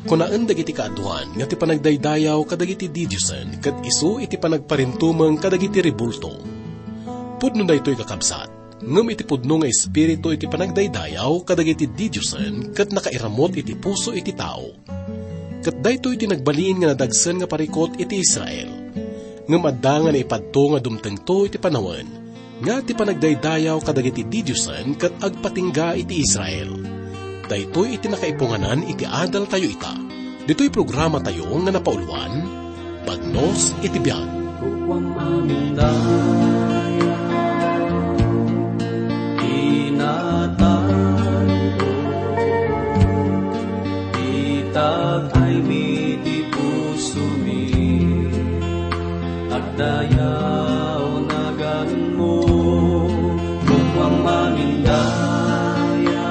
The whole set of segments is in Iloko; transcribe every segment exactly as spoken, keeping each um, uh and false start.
Kunaen dagiti kaaduan nga ti panagdaydayaw kadagiti didiosen ket isu iti panagparintumeng kadagiti rebulto. Pudno daytoy, kakabsat, ngem iti pudno nga espiritu iti panagdaydayaw kadagiti didiosen ket nakairamut iti puso iti tao. Ket daytoy ti nagbalin nga nadagsen nga parikut iti Israel. Ngem adda nga naipadto nga dumtengto iti panawen nga ti panagdaydayaw kadagiti didiosen ket agpatingga iti Israel. Daytoy iti nakaipunganan iti adaltayo ita. Ditoy programatayo nga napauluan, Bagnos iti Biag. Kukuam mamindaya, inatan ko, itak ay miti pusomi. Agdayaw naganmo, kukuam mamindaya,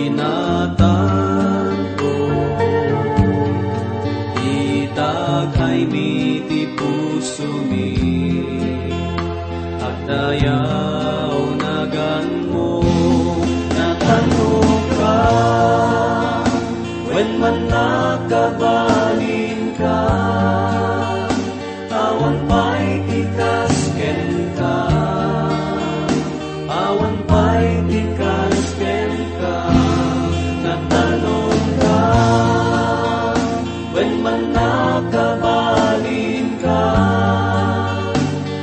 inatan ko, itak ay miti pusomi. Agdayaw naganmo, natanok ka, wen man nakabalinka, awan pay ti kas kenka, awan pay ti kas kenka, natanok ka, wen man nakabalinka,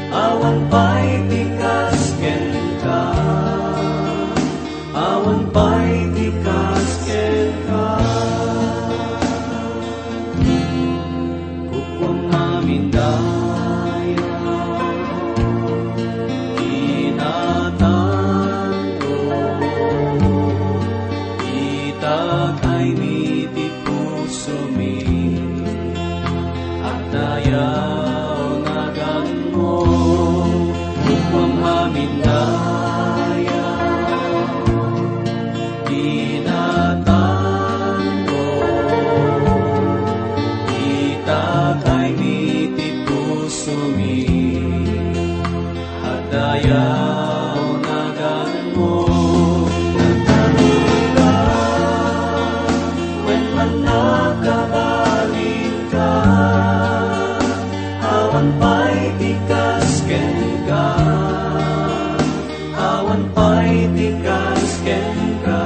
awan pay ti kas kenka, awan pay ti kas kenka. Kukuam mamindaya, inatan ko, itak ay miti pusomi. Agdayaw naganmo, kukuam mamindaya, inatan ko, itak ay miti pusomi. Agdayaw naganmo, nagtanok ka, wen man nakabalinka, awan pay ti kas kenka, awan pay ti kas kenka,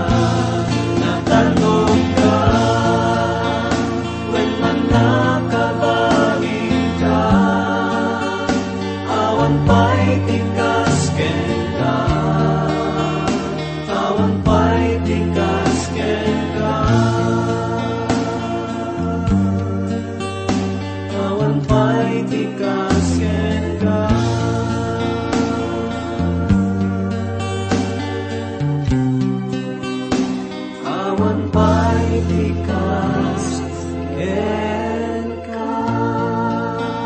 natanok ka, wen man nakabalinka, awan pay ti kas kenka, awan pay ti kas kenka, awan pay ti kas kenka. Awan pay ti kas kenka.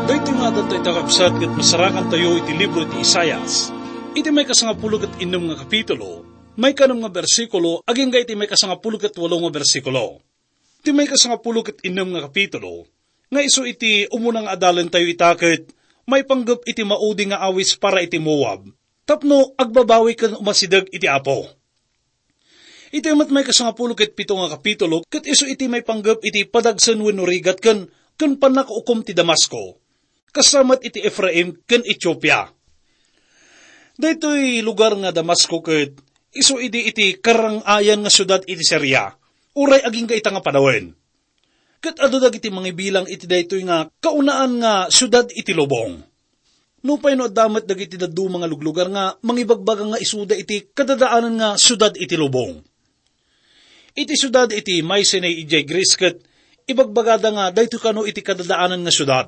Daytoy nga adda ita, kabsat, ket masarakantayo iti libro iti Isaias, iti maikasangapulo ket innem nga kapitulo, maikanem nga bersikulo, agingga iti maikasangapulo ket walo nga bersikulo. Iti maikasangapulo ket innem nga kapitulo, nga isu iti umuna nga adalentayo ita ket maipanggep iti maudi nga awis para iti Moab, tapno agbabawi ken umasideg iti Apo. Iti met maikasangapulo ket pito nga kapitulo, ket isu iti maipanggep iti padagsen wenno rigat ken, ken pannakaukom ti Damasco, kasta met iti Efraim ken Etiopia. Daytoy lugar nga Damasco ket isu idi iti karang-ayan nga siudad iti Siria, uray agingga ita nga panawen. Ket adu dagiti mangibilang iti daytoy nga kaunaan nga siudad iti lubong. Nupay no adda met dagiti dadduma nga luglugar nga mangibagbaga nga isuda iti kadadaanan nga siudad iti lubong. Iti siudad iti Mycenae idiay Greece ket ibagbagada nga daytoy kano iti kadadaanan nga siudad.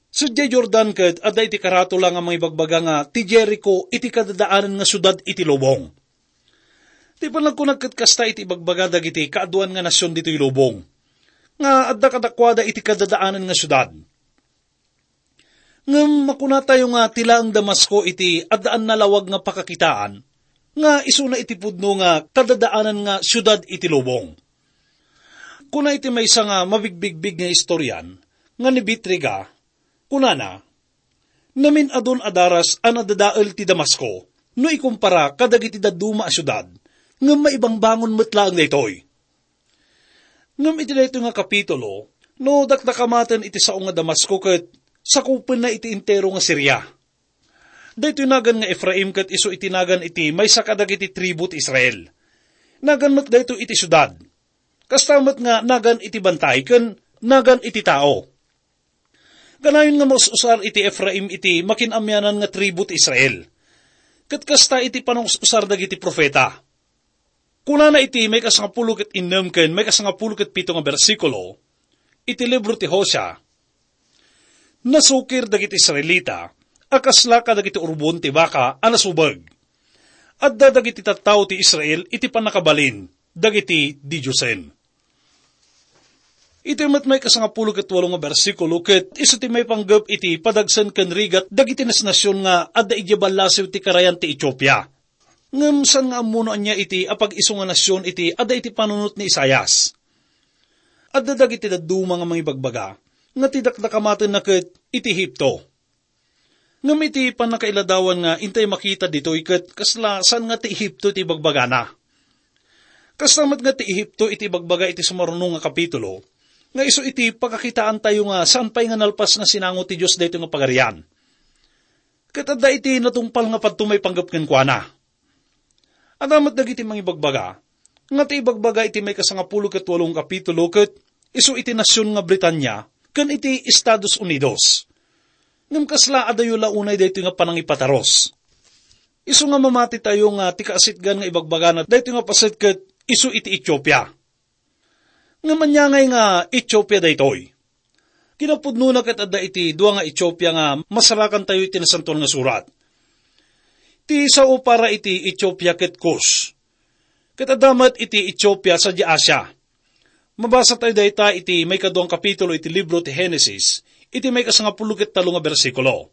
Sadiay Jordan ket adda iti karatula nga mangibagbaga nga ti Jerico iti kadadaanan nga siudad iti lubong. Ti panagkunak ket kasta iti ibagbaga dagiti kaaduan nga nasion ditoy lubong, nga adda kadakuada iti kadadaanan nga siudad. Ngem makunatayo nga ti laeng Damasco iti addaan nalawag nga pakakitaan, nga isuna iti pudno nga kadadaanan nga siudad iti lubong. Kuna iti maysa nga mabigbigbig nga istorian nga ni Bitriga, kunana, "Namin-adun a daras a nadadael ti Damasco no ikumpara kadagiti dadduma a siudad, ngem maibangbangon met laeng daytoy. Ngem iti daytoy nga kapitulo, no dakdakamaten iti sao nga Damasco ket sakupenna iti entero nga Siria. Daytoy nagan nga Efraim ket isu iti nagan iti maysa kadagiti tribu ti Israel. Nagan met daytoy iti siudad. Kasta met nga nagan iti bantay ken nagan iti tao. Kanayon nga maus-usar iti Efraim iti makin-amianan nga tribu ti Israel. Ket kasta iti panangus-usar dagiti profeta. Kunana iti maikasangapulo ket innem ken maikasangapulo ket pito nga bersikulo iti libro ti Hosea, "Nasukir dagiti Israelita a kasla kadagiti urbon ti baka a nasubeg. Adda dagiti tattao ti Israel iti pannakabalin dagiti didiosen." Iti met maikasangapulo ket walo nga bersikulo ket isu ti maipanggep iti padagsen ken rigat dagiti nasnasion nga adda idiay ballasiw ti karayan ti Etiopia. Ngem saan nga ammo no ania iti apag-isu nga nasion iti adda iti panunot ni Isaias. Adda dagiti dadduma nga mangibagbaga nga ti dakdakamatenna ket iti Egipto. Ngem iti pannakailadawan nga intay makita ditoy ket kasla saan nga ti Egipto iti ibagbagana. Kasta met nga ti Egipto iti ibagbaga iti sumaruno nga kapitulo, nga isu iti pakakitaantayo nga saan pay nga nalpas nga sinango ti Dios daytoy nga pagarian. Ket adda iti natungpal nga padto maipanggep kenkuana. Adda met dagiti mangibagbaga nga ti ibagbaga iti maikasangapulo ket walo nga kapitulo ket isu iti nasion nga Britania ken iti Estados Unidos. Ngem kasla adayo la unay daytoy nga panangipatarus. Isu nga mamatitayo nga ti kaasitgan nga ibagbagana daytoy nga paset ket isu iti Etiopia. Ngem ania ngay nga Etiopia daytoy? Kinapudnona ket adda iti dua nga Etiopia nga masarakantayo iti Nasantoan nga Surat. Ti sao para iti Etiopia ket Kus. Ket adda met iti Etiopia sadiay Asia. Mabasa tayo dayta iti maikadua nga kapitulo iti libro ti Genesis, iti maikasangapulo ket tallo nga bersikulo.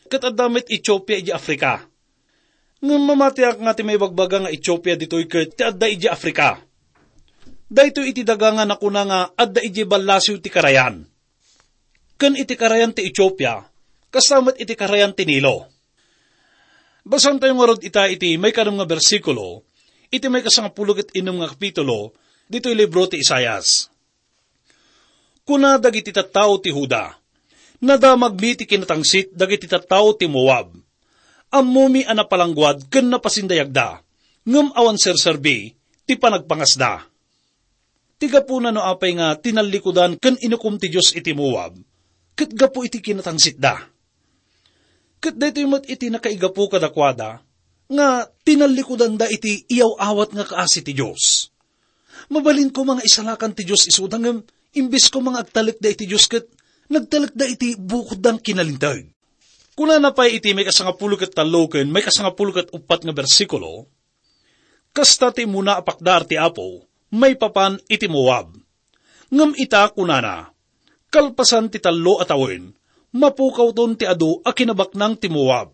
Ket adda met Etiopia idiay Africa. Ngem mamatiak nga ti maibagbaga nga Etiopia ditoy ket ti adda idiay Africa. Daytoy iti daga nga nakuna nga adda idiay ballasiw ti karayan. Ken iti karayan ti Etiopia, kasta met iti karayan ti Nilo. Basaentayo ngarud ita iti maikadua nga bersikulo, iti maikasangapulo ket innem nga kapitulo, ditoy libro ti Isaias. Kuna dagiti tattao ti Juda, "Nadamagmi ti kinatangsit dagiti tattao ti Moab. Ammomi a napalangguad ken napasindayagda, ngem awan serserbi ti panagpangasda." Ti gapuna no apay nga tinallikudan ken inukom ti Dios iti Moab, ket gapu iti kinatangsitda. Ket daytoy met iti nakaigapu kadakuada, nga tinallikudanda iti iyaw-awat nga kaasi ti Dios. Mabalin koma nga isalakan ti Dios isuda, ngem imbes koma nga agtalekda iti Dios ket nagtalekda iti bukodda nga kinalinteg. Kunana pay iti maikasangapulo ket tallo ken maikasangapulo ket uppat nga bersikulo, "Kasta ti immuna a pakdaar ti Apo maipapan iti Moab. Ngem ita," kunana, "kalpasan ti tallo a tawen, mapukawton ti adu a kinabaknang ti Moab.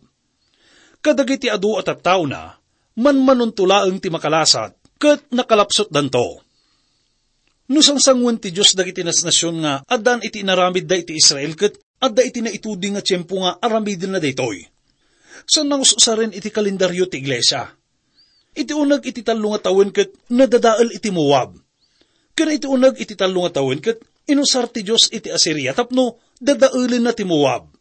Kadagiti adu a tattaona, manmanonto laeng ti makalasat, ket nakalapsutdanto." No sangsangoen ti Dios dagiti nasnasion nga addaan iti inaramidda iti Israel ket adda iti naituding nga tiempo nga aramidenna daytoy. Saan nga us-usaren iti kalendario ti iglesia. Iti uneg iti tallo nga tawen ket nadadael iti Moab. Ken iti uneg iti tallo nga tawen ket inusar ti Dios iti Asiria tapno dadaelenna ti Moab.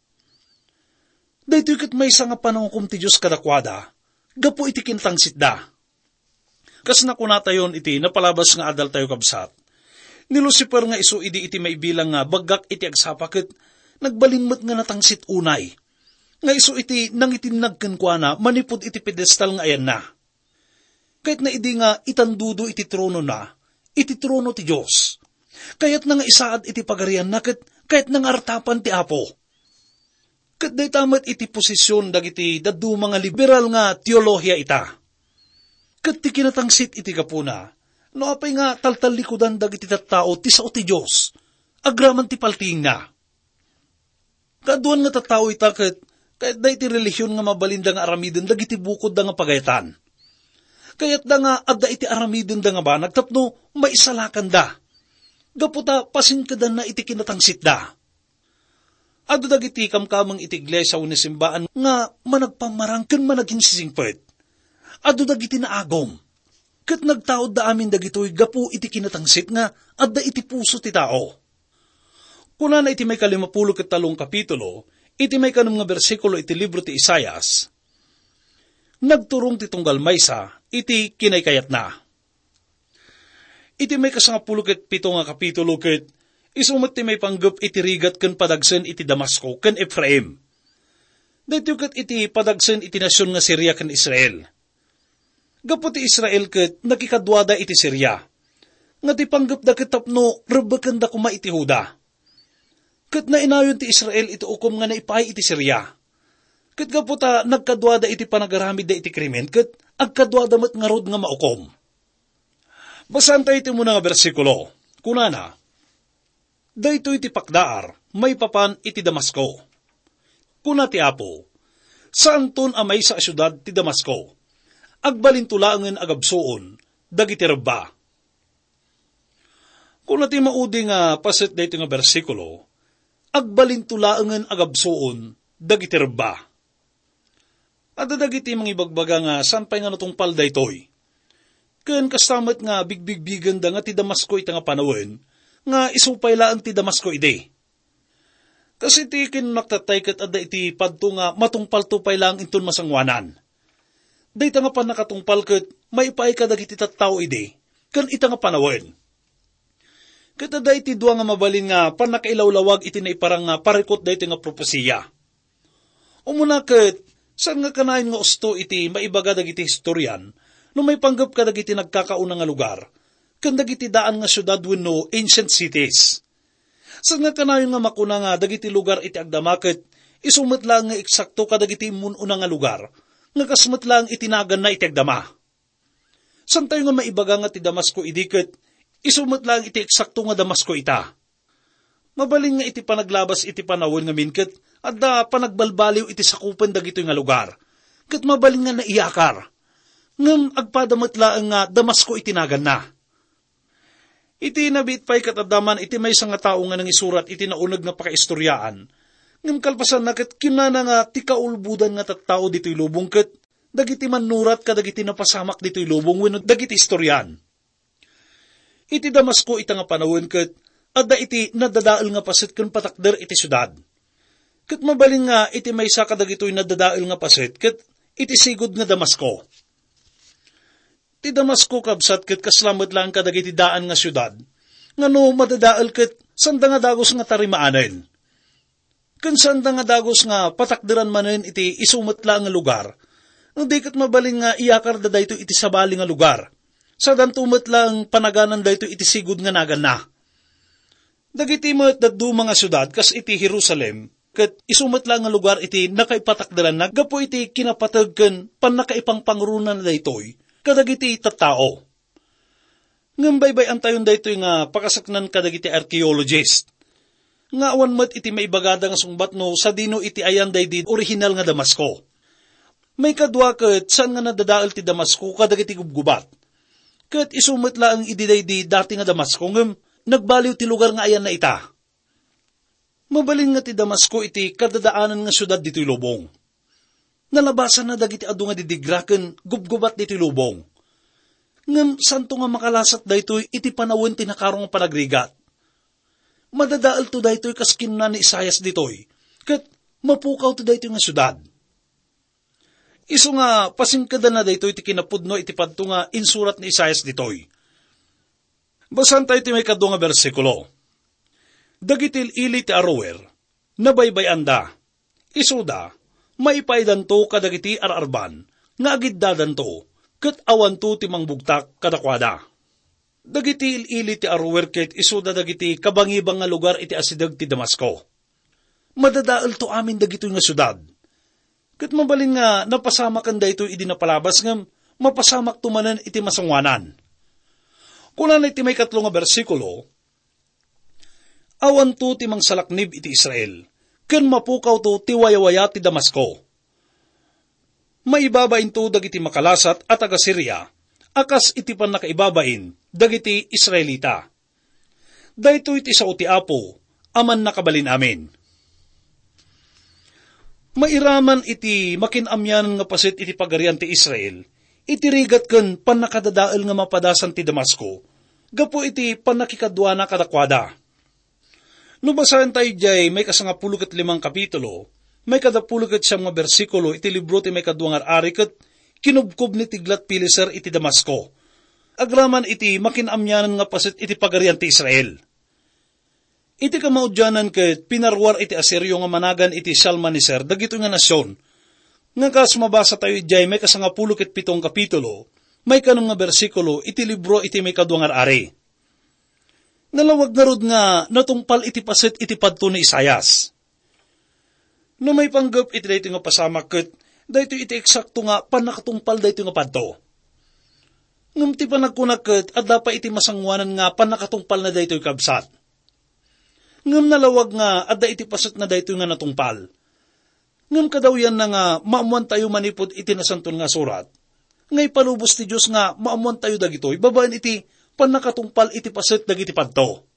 Daytoy ket maysa nga panangukom ti Dios kadakuada gapu iti kinatangsitda. Kas nakunatayon iti napalabas nga adaltayo, kabsat, ni Lucifer nga isu idi iti maibilang nga baggak iti agsapa ket nagbalin met nga natangsit unay, nga isu iti nangitinnag kenkuana manipud iti pedestal nga ayanna. Kayatna idi nga itandudo iti tronona, iti trono ti Dios. Kayatna nga isaad iti pagarianna ket kayatna nga artapan ti Apo. Ket dayta met iti posisyon dagiti dadduma nga liberal nga teolohiya ita. Ket ti kinatangsit iti gapuna, no apay nga taltallikudan dagiti tattao ti sao ti Dios, agraman ti paltiingna. Kaaduan nga tattao ita ket kayatda iti relihiyon nga mabalinda nga aramiden dagiti bukodda nga pagayatan. Kayatda nga adda iti aramidenda nga banag tapno maisalakanda. Gapu ta pasinkedanna iti kinatangsitda. Adu dagiti kamkameng iti iglesia wenno simbaan nga managpammarang ken managinsisingpet. Adu dagiti naagum. Ket nagtaudda amin dagitoy gapu iti kinatangsit nga adda iti puso ti tao. Kunana iti maikalimapulo ket talong kapitulo, iti maikanem nga bersikulo iti libro ti Isaias, "Nagturong ti tunggal maysa iti kinaykayatna." Iti maikasangapulo ket pito nga kapitulo ket isu met ti maipanggep iti rigat ken padagsen iti Damasco ken Efraim. Daytoy ket iti padagsen iti nasion nga Siria ken Israel. Gapu ti Israel ket nakikaduada iti Siria, nga ti panggepda ket tapno rebbekenda koma iti Juda. Ket nainayon ti Israel iti ukom nga naipaay iti Siria. Ket gapu ta nagkaduada iti panagaramidda iti krimen, ket agkaduada met ngarud nga maukom. Basaentayo ti umuna nga bersikulo. Kunana, "Daytoy ti pakdaar maipapan iti Damasco." Kuna ti Apo, "Saanton a maysa a siudad ti Damasco. Agbalinto laengen a gabsuon dagiti rebba." Kuna ti maudi nga paset daytoy nga bersikulo, "Agbalinto laengen a gabsuon dagiti rebba." Adda dagiti mangibagbaga nga saan pay nga natungpal daytoy. Ken kasta met nga bigbigbigenda nga ti Damasco ita nga panawen, nga isu pay laeng ti Damasco idi. Kas iti kinunaktattay ket adda iti padto nga matungpalto pay laeng inton masangoanan. Dayta nga pannakatungpal ket maipaay kadagiti tattao idi, ken ita nga panawen. Ket adda iti dua nga mabalin nga pannakailawlawag iti naiparang nga parikut daytoy nga propesiya. Umuna ket, saan nga kanayon nga usto iti maibaga dagiti historian no maipanggep kadagiti nagkakauna nga lugar ken dagiti daan nga siudad wenno ancient cities. Saan nga kanayon nga makuna nga dagiti lugar iti agdama ket isu met laeng nga eksakto kadagiti immun-una nga lugar nga kas met laeng iti naganna iti agdama. Saantayo nga maibaga nga ti Damasco idi ket isu met laeng iti eksakto nga Damasco ita. Mabalin nga iti panaglabas iti panawen ngamin ket adda panagbalbaliw iti sakupen dagitoy nga lugar, ket mabalin nga naiyakar. Ngem agpada met laeng nga Damasco iti naganna. Iti nabiit pay ket adda man iti maysa nga tao nga nangisurat iti nauneg nga pakaistoriaan. Ngem kalpasanna ket kinunana nga ti kaulbodan nga tattao ditoy lubong ket dagiti mannurat kadagiti napasamak ditoy lubong wenno dagiti istorian. Iti Damasco ita nga panawen ket adda iti nadadael nga paset ken patakder iti siudad. Ket mabalin nga iti maysa kadagitoy nadadael nga paset ket iti sigud nga Damasco. Ti Damasco, kabsat, ket kasla met laeng kadagiti daan nga siudad, nga no madadael ket saanda nga dagus nga tarimaanen. Ken saanda nga dagus nga patakderan manen iti isu met laeng nga lugar, no di ket mabalin nga iyakarda daytoy iti sabali nga lugar. Sadanto met laeng panaganan daytoy iti sigud nga naganna. Dagiti met dadduma nga siudad kas iti Jerusalem, ket isu met laeng nga lugar iti nakaipatakderanna gapu iti kinapateg ken pannakaipangpangrunana daytoy kadagiti tattao. Ngem baybay-antayon daytoy nga pakasaknan kadagiti archaeologist, nga awan met iti maibagada nga sungbat no sadino iti ayan daydi orihinal nga Damasco. Maikadua ket, saan nga nadadael ti Damasco kadagiti gubgubat. Ket isu met laeng idi daydi dati nga Damasco, ngem nagbaliw ti lugar nga ayanna ita. Mabalin nga ti Damasco iti kadadaanan nga siudad ditoy lubong. Nalabasanna dagiti adu nga didigra ken gubgubat ditoy lubong. Ngem saanto nga makalasat daytoy iti panawen ti nakaro nga panagrigat. Madadaelto daytoy kas kinuna ni Isaias ditoy, ket mapukawto daytoy nga siudad. Isu nga pasingkedanna daytoy ti kinapudno iti padto nga insurat ni Isaias ditoy. Basaentayo ti maikadua nga bersikulo. Dagiti il-ili ti Aroer, nabaybay-anda. Isuda, maipaaydanto kadagiti ar-arban nga agiddadanto, ket awanto ti mangbugtak kadakuada. Dagiti il-ili ti Aroer ket isuda dagiti kabangibang nga lugar iti asideg ti Damasco. Madadaelto amin dagitoy nga siudad. Ket mabalin nga napasamaken daytoy idi napalabas ngem mapasamakto manen iti masangoanan. Kunana iti maikatlo nga bersikulo, "Awanto ti mangsalaknib iti Israel, ken mapukawto ti wayawaya ti Damasco. Maibabainto dagiti makalasat a taga-Siria a kas iti pannakaibabain dagiti Israelita. Daytoy ti sao ti Apo a Mannakabalin-amin." Mairaman iti makin-amianan nga paset iti Pagarian ti Israel, iti rigat ken pannakadadael nga mapadasan ti Damasco gapu iti pannakikaduana kadakuada. No basaentayo idiay maikasangapulo ket limang kapitulo, maikadapulo ket siam nga bersikulo iti libro ti maikadua nga ar-ari ket kinubkob ni Tiglat-Pileser iti Damasco, agraman iti makin-amianan nga paset iti pagarian ti Israel. Iti kamaudianan ket pinaruar iti Asirio nga managan iti Shalmaneser dagitoy nga nasion, nga kas mabasatayo idiay maikasangapulo ket pito nga kapitulo, maikanem nga bersikulo iti libro iti maikadua nga ar-ari. Nalawag ngarud nga natungpal iti paset iti padto ni Isaias. No maipanggep iti daytoy nga pasamak ket daytoy iti eksakto nga pannakatungpal daytoy nga padto. Ngem ti panagkuna ket adda pay iti masangoanan nga pannakatungpalna daytoy, kabsat. Ngem nalawag nga adda iti pasetna daytoy nga natungpal. Ngem kadawyanna nga maammoantayo manipud iti Nasantoan nga Surat nga ipalubos ti Dios nga maammoantayo dagitoy babaen iti pannakatungpal iti paset dagiti padto.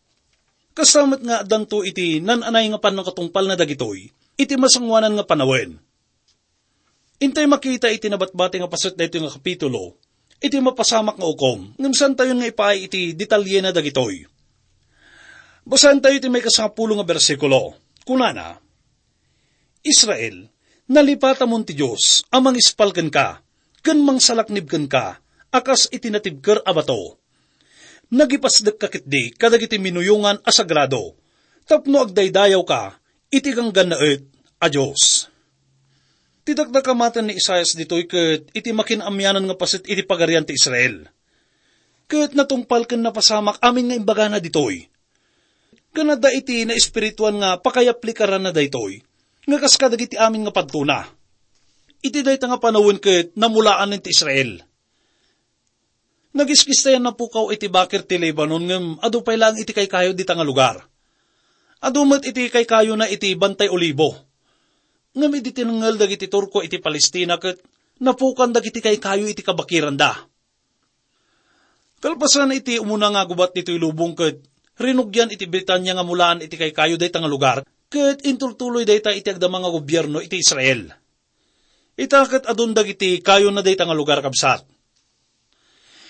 Kasta met nga addanto iti nan-anay nga pannakatungpalna dagitoy iti masangoanan nga panawen. Intay makita iti nabatbati nga paset daytoy nga kapitulo iti mapasamak nga ukom, ngem saantayon nga ipaay iti detalyena dagitoy. Basaentayo iti maikasangapulo nga bersikulo. Kunana, "Israel, nalipatamon ti Dios a mangispal kenka ken mangsalaknib kenka a kas iti natibker a bato. Nagipasdekka ketdi kadagiti minuyongan a sagrado tapno agdaydayawka iti ganggannaet a Dios." Ti dakdakamaten ni Isaias ditoy ket iti makin-amianan nga paset iti pagarian ti Israel. Ket natungpal ken napasamak amin nga imbagana ditoy. Ken adda iti naespirituan nga pakayaplikaranna daytoy, nga kas kadagiti amin nga padtona. Iti dayta nga panawen ket namulaanen ti Israel. Nagiskistayan napukaw iti bakir ti Lebanon, ngem adu pay laeng iti kaykayo dita nga lugar. Adu met iti kaykayona iti Bantay Olibo. Ngem idi tinengngel dagiti Turko iti Palestina ket napukan dagiti kaykayo iti kabakiranda. Kalpasan iti umuna nga gubat ditoy lubong ket rinugian iti Britania nga mulaan iti kaykayo dayta nga lugar, ket intultuloy dayta iti agdama nga gobierno iti Israel. Ita ket adun dagiti kayona dayta nga lugar, kabsat.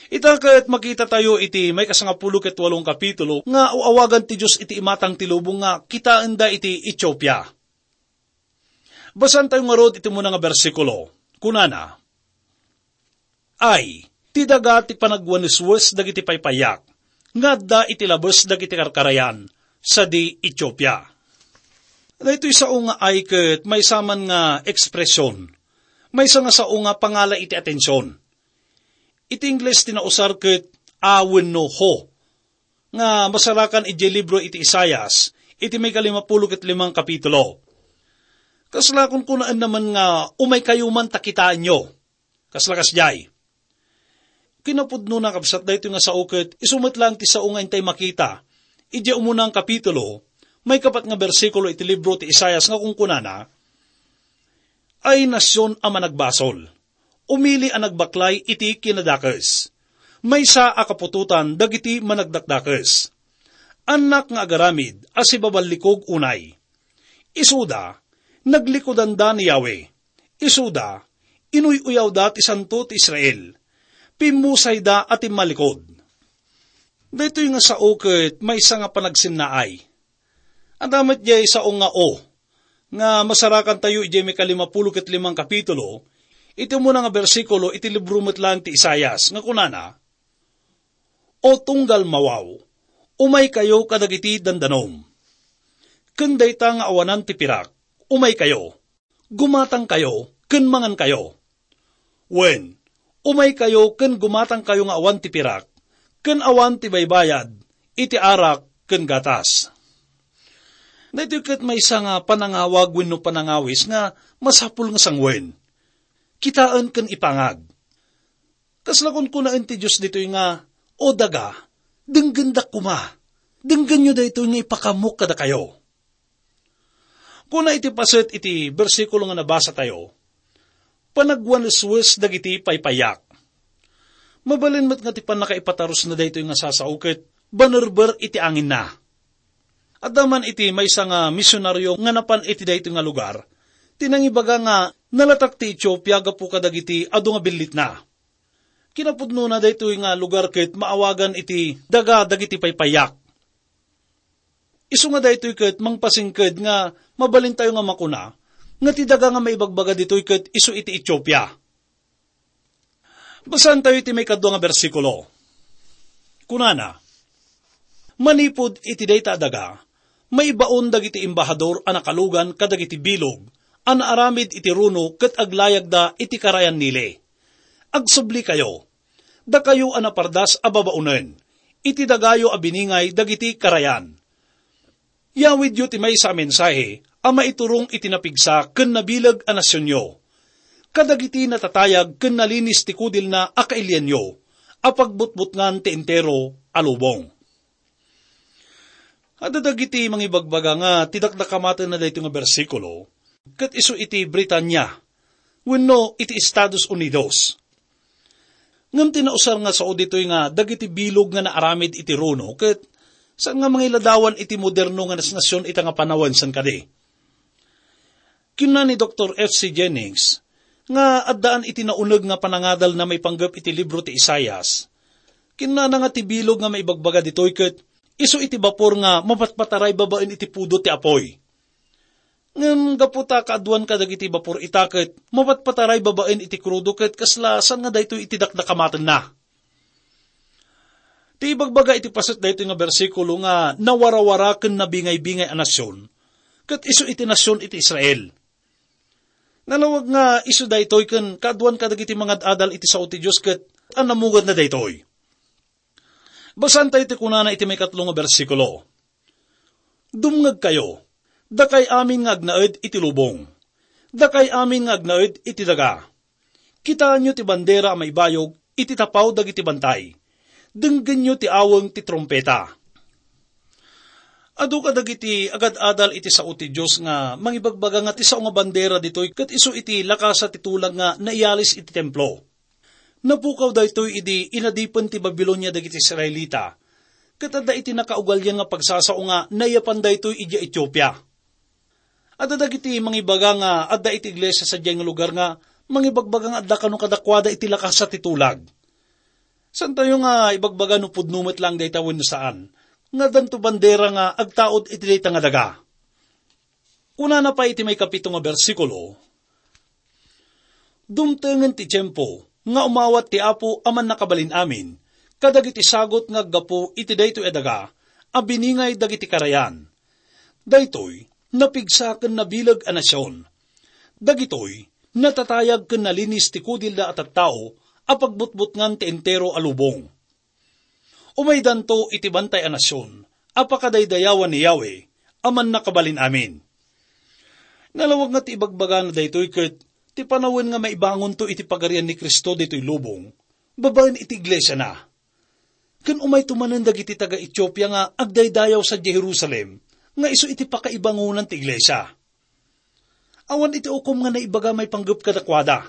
Ita ket makitatayo iti maikasangapulo ket walong kapitulo nga aw-awagan ti Dios iti imatang ti lubong nga kitaenda iti Etiopia. Basaentayo ngarud iti umuna nga bersikulo. Kunana, "Ay, ti daga ti panagwaneswes dagiti paypayak nga adda iti labes dagiti karkarayan sadi Etiopia." Daytoy sao nga "ay" ket maysa man nga ekspresion, maysa nga sao nga pangala iti atension. Iti Ingles ti nausar ket "a" wenno "ho", nga masarakan idiay libro iti Isaias, iti maikalimapulo ket limang kapitulo. Kasla kunkunaenna man nga "umaykayo man ta kitaenyo." Kasla kasdiay. Kinapudnona, kabsat, daytoy nga sao ket isu met laeng ti sao nga intay makita idiay umuna nga kapitulo, maikapat nga bersikulo iti libro ti Isaias nga kunkunana, "Ay nasion a managbasol, umili a nagbaklay iti kinadakes, maysa a kaputotan dagiti managdakdakes, annak nga agaramid a sibaballikog unay. Isuda, naglikudanda ni Yahweh. Isuda, inuy-uyawda ti Santo ti Israel. Pimmusayda a timmalikod." Daytoy nga sao ket maysa nga panagsinnaay. Adda met diay sao nga "o", nga masarakantayo idiay maikalimapulo ket limang kapitulo, iti umuna nga bersikulo iti libro met laeng ti Isaias, nga kunana, "O tunggal mawaw, umaykayo kadagiti dandanom. Ken dayta nga awanan ti pirak, umaykayo. Gumatangkayo ken mangankayo. Wen, umaykayo ken gumatangkayo nga awan ti pirak, ken awan ti baybayad iti arak ken gatas." Daytoy ket maysa nga panangawag wenno panangawis nga masapul nga sanguen, kitaen ken ipangag. Kasla kunkunaen ti Dios ditoy nga, "O daga, denggendak koma. Denggenyo daytoy nga ipakaamok kadakayo." Kuna iti paset iti bersikulo nga nabasatayo, "Panagwaneswes dagiti paypayak." Mabalin met nga ti pannakaipatarusna daytoy nga sasao ket banerber iti anginna. Adda man iti maysa nga misionaryo nga napan iti daytoy nga lugar ti nangibaga nga nalatak ti Etiopia gapu kadagiti adu nga billitna. Kinapudnona, daytoy nga lugar ket maawagan iti daga dagiti paypayak. Isu nga daytoy ket mangpasingked nga mabalintayo nga makuna nga ti daga nga maibagbaga ditoy ket isu iti Etiopia. Basaentayo iti maikadua nga bersikulo. Kunana, "Manipud iti dayta a daga, maibaon dagiti embahador a nakalugan kadagiti bilog a naaramid iti runo ket aglayagda iti karayan Nile. Agsublikayo, dakayo a napardas a babaonen, iti dagayo a biningay dagiti karayan. Yawidyo ti maysa a mensahe a maiturong iti napigsa ken nabileg a nasionyo, kadagiti natatayag ken nalinis ti kudilna a kailianyo, a pagbutbutngan ti entero a lubong." Adda dagiti mangibagbaga nga ti dakdakamatenna daytoy nga bersikulo ket isu iti Britania wenno iti Estados Unidos. Ngem ti nausar nga sao ditoy nga dagiti bilog nga naaramid iti runo ket saan nga mangiladawan iti moderno nga nasnasion ita nga panawen, saan kadi? Kinuna ni Doktor F C Jennings nga addaan iti nauneg nga panangadalna maipanggep iti libro ti Isaias. Kinunana nga ti bilog nga maibagbaga ditoy ket isu iti bapor nga mapatpataray babaen iti pudot ti apuy. Ngem gapu ta kaaduan kadagiti bapor ita ket mapatpataray babaen iti krudo ket kasla saan nga daytoy iti dakdakamatenna. Ti ibagbaga iti paset daytoy nga bersikulo nga nawarawara ken nabingaybingay a nasion, ket isu iti nasion iti Israel. Nalawag nga isu daytoy ken kaaduan kadagiti mangad-adal iti sao ti Dios ket annamugatna daytoy. Basaentayo ti kunana iti maikatlo nga bersikulo. "Dumngegkayo, dakay amin nga agnaed iti lubong, dakay amin nga agnaed iti daga. Kitaenyo ti bandera a maibayog iti tapaw dagiti bantay. Denggenyo ti aweng ti trumpeta." Adu kadagiti agad-adal iti sao ti Dios nga mangibagbaga nga ti sao nga bandera ditoy ket isu iti lakasa ti tulag nga naiyalis iti templo. Napukaw daytoy idi inadipen ti Babilonia dagiti Israelita, ket adda iti nakaugalian nga pagsasao nga naiyapan daytoy idiay Etiopia. Adda dagiti mangibaga nga adda iti iglesia sadiay nga lugar nga mangibagbaga nga adda kano kadakuada iti lakasa ti tulag. Saantayo nga ibagbaga no pudno met laeng dayta wenno saan, nga addanto bandera nga agtaud iti dayta nga daga. Kunana pay iti maikapito nga bersikulo, "Dumtengen ti tiempo nga umawat ti Apo a Mannakabalin-amin kadagiti sagut nga aggapu iti daytoy a daga a biningay dagiti karayan. Daytoy napigsa ken nabileg a nasion. Dagitoy natatayag ken nalinis ti kudilda a tattao a pagbutbutngan ti entero a lubong. Umaydanto iti bantay a nasion a pakadaydayawan ni Yahweh a Mannakabalin-amin." Nalawag nga ti ibagbagana daytoy ket ti panawen nga maibangonto iti Pagarian ni Cristo ditoy lubong babaen iti iglesiana. Ken umayto manen dagiti taga-Etiopia nga agdaydayaw sadiay Jerusalem nga isu iti pakaibangonan ti iglesia. Awan iti ukom nga naibaga maipanggep kadakuada.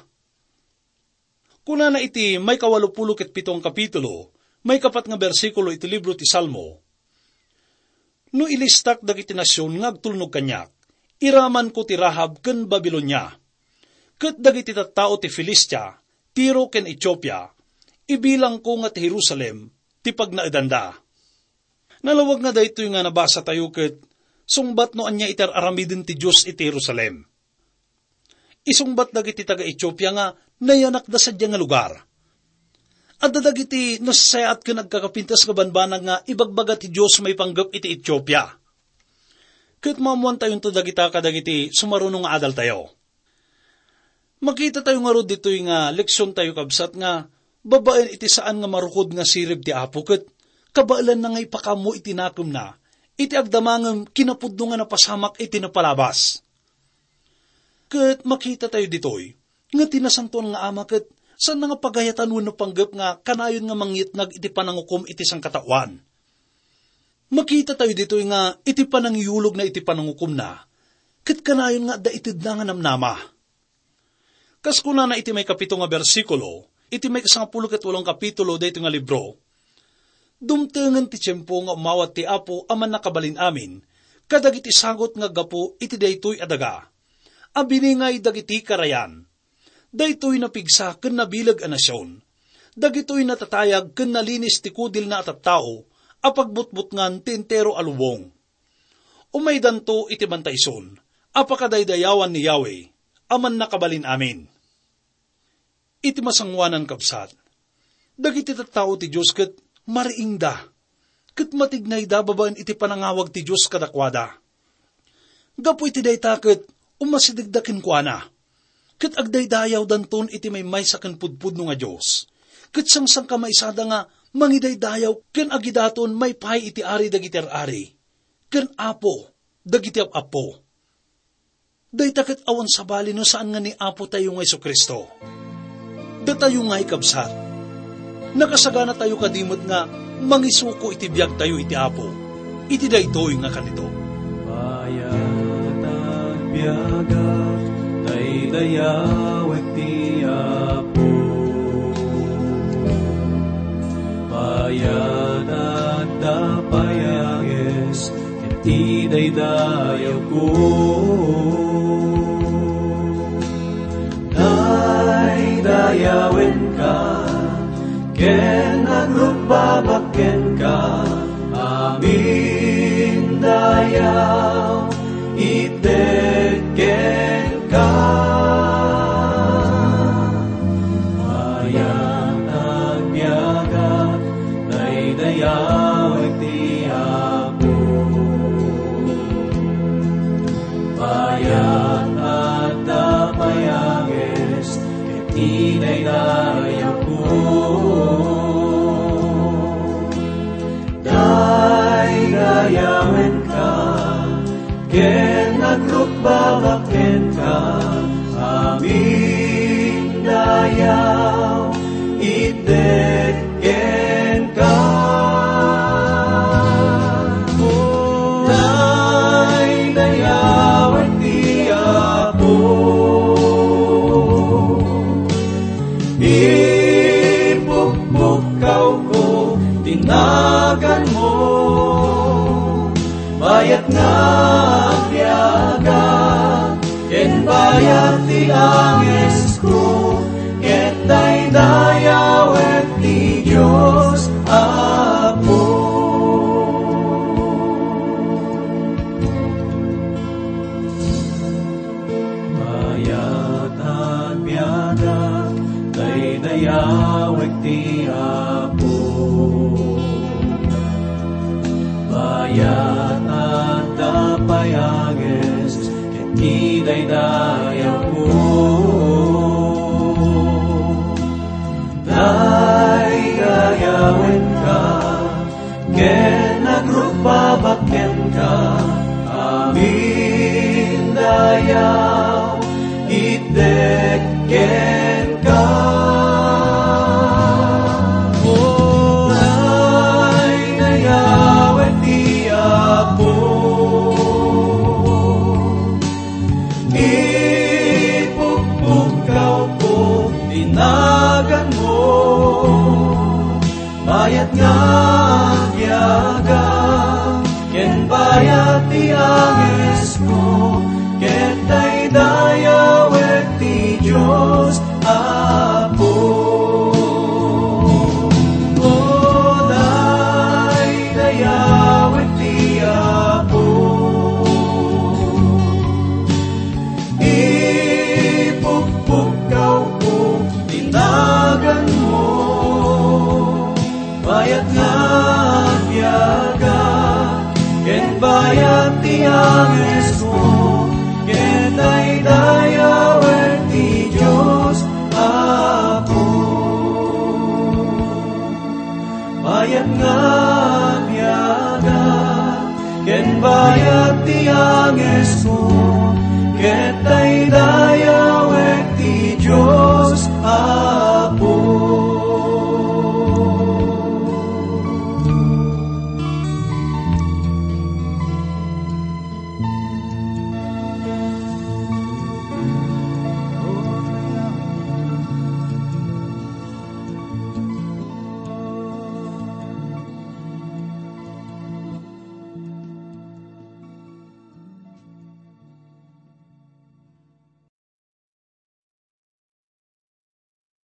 Kunana iti maikawalupulo ket pito nga kapitulo, maikapat nga bersikulo iti libro ti Salmo, "No ilistak dagiti nasion nga agtulnog kaniak, iramanko ti Rahab ken Babilonia, ket dagiti tattao ti Filistia, Tiro ken Etiopia, ibilangko nga ti Jerusalem ti pagnaedanda." Nalawag nga daytoy nga nabasatayo ket sungbat no ania iti ar-aramiden ti Dios iti Jerusalem. Isungbat dagiti taga-Etiopia nga nayanakda sadiay nga lugar. Adda dagiti nasayaat ken agkakapintas nga banbanag nga ibagbaga ti Dios maipanggep iti Etiopia. Ket maammoantayonto dagita kadagiti sumaruno nga adaltayo. Makitatayo ngarud ditoy nga leksiontayo, kabsat, nga babaen iti saan nga marukod nga sirib ti Apo ket kabaelanna nga ipakaammo iti nakemna iti agdama ngem kinapudno nga napasamak iti napalabas. Ket makitatayo ditoy nga ti Nasantoan nga Ama ket saanna nga pagayatan wenno panggep nga kanayon nga mangyetnag iti panangukom iti sangkataoan. Makitatayo ditoy nga iti panangiyulogna iti panangukomna, ket kanayon nga adda itedna nga namnama. Kas kunana iti maikapito nga bersikulo, iti maikasangapulo ket walo nga kapitulo daytoy nga libro, "Dumtengen ti tiempo nga umawat ti Apo a Mannakabalin-amin kadagiti sagut nga aggapu iti daytoy a daga a biningay dagiti karayan. Daytoy napigsa ken nabileg a nasion. Dagitoy natatayag ken nalinis ti kudilna a tattao a pagbutbutngan ti entero a lubong. Umaydanto iti bantayson a pakadaydayawan ni Yahweh a Mannakabalin-amin. Iti masangoanan, kabsat, dagiti tattao ti Dios ket mariingda, ket matignayda babaen iti panangawag ti Dios kadakuada. Gapu iti dayta ket umasidegda kenkuana, ket agdaydayawdanton iti maymaysa ken pudpudno nga Dios, ket sangsangkamaysada nga mangidaydayaw ken agidaton maipaay iti Ari dagiti ar-ari, ken Apo dagiti ap-apo. Dayta ket awan sabali no saan nga ni Apotayo nga Jesu-Cristo. Datayo nga ikabsat, nakasaganatayo kadi met nga mangisuko iti biagtayo iti Apo iti daytoy nga kanito. Mayat agbiagak, daydayawek ti Apo. Mayat agdapay a ges, ket idaydayawko. Daydayawenka, ken agrukbabak kenka, amin dayaw, itedka. Mayat agbiagak, daydayawek ti Apo. Mayat agdapay a ges, ket idaydayawko. Daydayawenka, ken agrukbabak kenka, amin dayaw, itedka. Daydayawek ti Apo. Ipukpukkawko ti naganmo. Bayat nga agbiagak, ken bayat ti angesko, ket daydayawek ti Dios Apo. Mayat agbiagak, daydayawek ti Apo. Mayat agdapay a ges, ket idaydayawko. Daydayawenka, ken agrukbabak kenka, amin dayaw, itedka. O, daydayawek ti Apo. Ipukpukkawko ti naganmo. Bayat nga agbiagak, ken bayat ti angesko, ket daydayawek ti Dios Apo. O, daydayawek ti Apo. Ipukpukkawko ti naganmo. Bayat nga agbiagak, ken bayat ti angesko, ket daydayawek ti Dios Apo. Bayat nga agbiagak, ken bayat ti angesko,